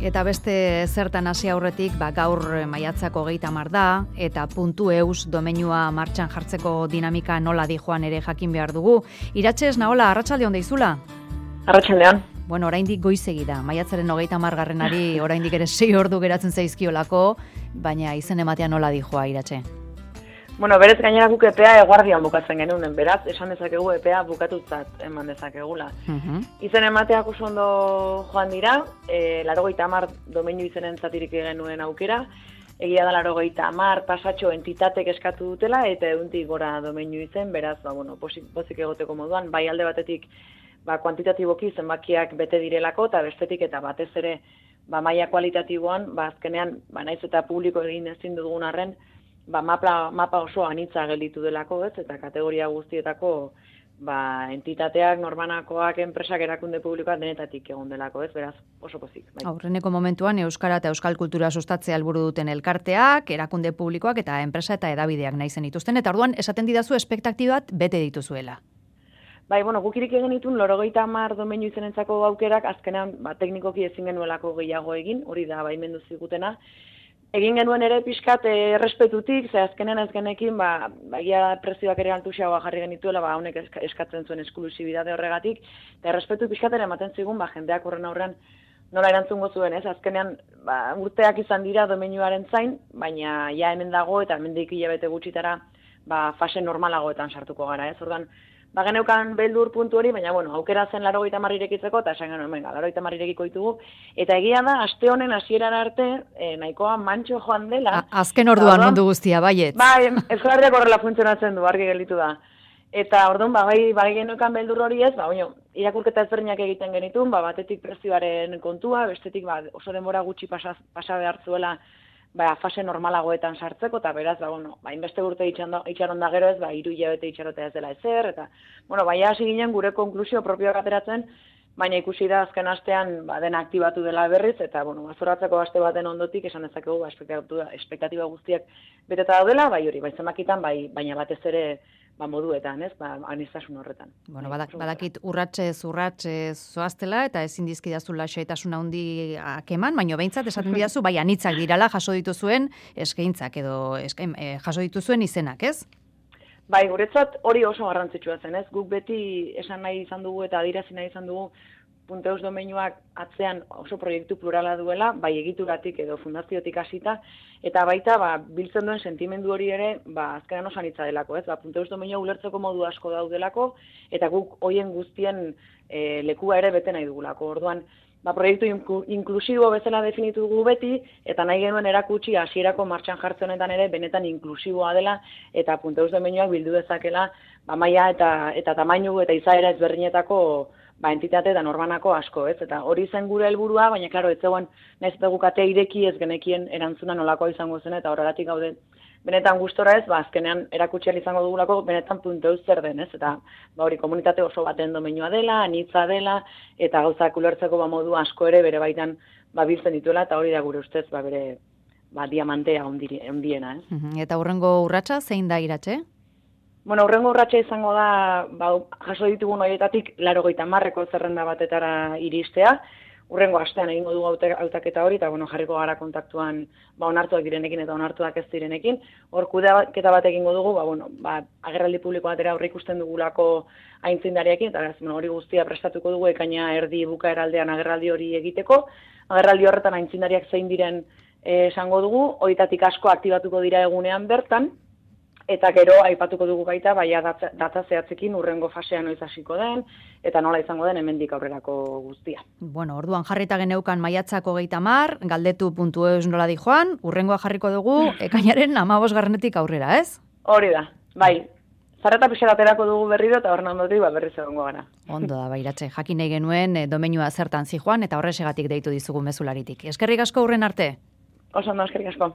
Eta beste zertan hasi aurretik, gaur maiatzako 30 da, eta .eus domeinua martxan jartzeko dinamika nola dijoan ere jakin behar dugu. Iratxe, Naola, arratsaldeon deizula? Arratsaldeon. Bueno, oraindik goizegi da. Maiatzaren 30 oraindik ere 6 ordu geratzen zaizkiolako, baina izen ematea nola dijoa, Iratxe? Bueno, berez gainera guk epea eguardian bukatzen genuen, beraz, esan dezakegu epea bukatutzat eman dezakegula. Izen emateak oso ondo joan dira, 80 domeinu izenen zatirik genuen aukera, egia da 80 pasatxo entitatek eskatu dutela, eta 100 gora domeinu izen, beraz, pozik egoteko moduan, bai alde batetik, kuantitatiboki zenbakiak bete direlako, eta bestetik eta batez ere, maila kualitatiboan, azkenean, naiz eta publiko egin ezin dugun arren, mapa oso anitza gelditu delako, ez, eta kategoria guztietako entitateak, norbanakoak, enpresak, erakunde publikoak denetatik egon delako, ez, beraz, oso pozik. Bai. Aurreneko momentuan Euskara eta Euskal Kultura sustatzea helburu duten elkarteak, erakunde publikoak eta enpresa eta hedabideak nahi zen dituzten, eta orduan esaten didazu espektaktibat bete dituzuela. Bai, gukirik egin ditun 80 domeinu izenentzako aukerak, azkenean, teknikoki ezin genuelako gehiago egin, hori da, baimendu zigutena. Egin genuen ere pixkat errespetutik, ze azkenean ez genekin, egia prezioak ere altuxagoa jarri genituela, honek eskatzen zuen esklusibidade horregatik, eta errespetu pixkat ere ematen zigun, jendeak horren aurrean nola erantzungo zuen, ez? Azkenean, urteak izan dira domeinuaren zain, baina ja hemen dago, eta hemendik hilabete gutxitara, fase normalagoetan sartuko gara, ez? Ordan, geneukan beldur puntu hori, baina, aukera zen 80 irekitzeko, eta esan genuen, 80 irekiko ditugu, eta egia da, aste honen hasierara arte, nahikoa mantxo joan dela. Azken orduan mundu guztia, baiet. Euskarriak horrela funtzionatzen du, argi gelditu da. Eta orduan, bai geneukan beldur hori ez, irakurketa ezberdinak egiten genitun, batetik prezioaren kontua, bestetik oso denbora gutxi pasa behar zuela, fase normalagoetan sartzeko, eta beraz, inbeste urte itxaron da gero ez, 3 hilabete itxarotea ez dela ezer, eta, hasi ginen gure konklusio propioak ateratzen, baina ikusi da azken astean dena aktibatu dela berriz, eta, zoratzeko aste baten ondotik esan dezakegu, espektatiba guztiak beteta daudela, zenbakitan, baina batez ere, moduetan, ez, aniztasun horretan. Badakit urratsez zoaztela, eta ezin dizkidazula xehetasun handi eman, baina behintzat esaten didazu, anitzak dirala jaso dituzuen eskaintzak edo jaso dituzuen izenak, ez? Guretzat hori oso garrantzitsua zen, ez? Guk beti esan nahi izan dugu eta adirazi nahi izan dugu .eus domeinuak atzean oso proiektu plurala duela, bai egituratik edo fundaziotik hasita, eta baita biltzen duen sentimendu hori ere, azkenan oso anitza delako, ez? .eus domeinua ulertzeko modu asko daudelako, eta guk hoien guztien lekua ere bete nahi dugulako. Orduan, proiektu inklusibo bezala definitu dugu beti, eta nahi genuen erakutsi hasierako martxan jartzen honetan ere benetan inklusiboa dela, eta .eus domeinuak bildu dezakela, maila eta tamainu eta izaera ezberdinetako entitate eta norbanako asko, ez? Eta hori zen gure helburua, baina, klaro, ez zegoen, nahiz eta guk atea ireki ez genekien erantzuna nolakoa izango zen, eta horregatik gaude benetan gustora ez, azkenean erakutsi ahal izango dugulako benetan .eus zer den, ez? Eta hori komunitate oso baten domeinua dela, anitza dela, eta gauzak ulertzeko modu asko ere bere baitan biltzen dituela, eta hori da gure ustez bere diamantea ondiena, ez? Eta hurrengo urratsa zein da, Iratxe? Hurrengo urratsa izango da, jaso ditugun horietatik 80 zerrenda batetara iristea. Hurrengo astean egingo dugu hautaketa hori, eta jarriko gara kontaktuan onartuak direnekin eta onartuak ez direnekin. Hor kudeaketa bat egingo dugu, agerraldi publiko batera aurre ikusten dugulako aintzindariekin, eta hori guztia prestatuko dugu ekaina erdi bukaeraldean agerraldi hori egiteko. Agerraldi horretan aintzindariak zein diren esango dugu, horietatik asko aktibatuko dira egunean bertan, eta gero aipatuko dugu baita, data zehatzekin urrengo fasean noiz hasiko den, eta nola izango den hemendik aurrerako guztia. Orduan jarrita geneukan maiatzako 30, galdetu.eus nola dijoan, urrengoa jarriko dugu, ekainaren 15 aurrera, ez? Hori da, zarata pixera aterako dugu berriro, eta horren ondotik berriz egongo gara. Ondo da, Iratxe, jakin nahi genuen domeinua zertan zijoan, eta horresegatik deitu dizugu mezularitik. Eskerrik asko urren arte? Oso ondo, eskerrik asko.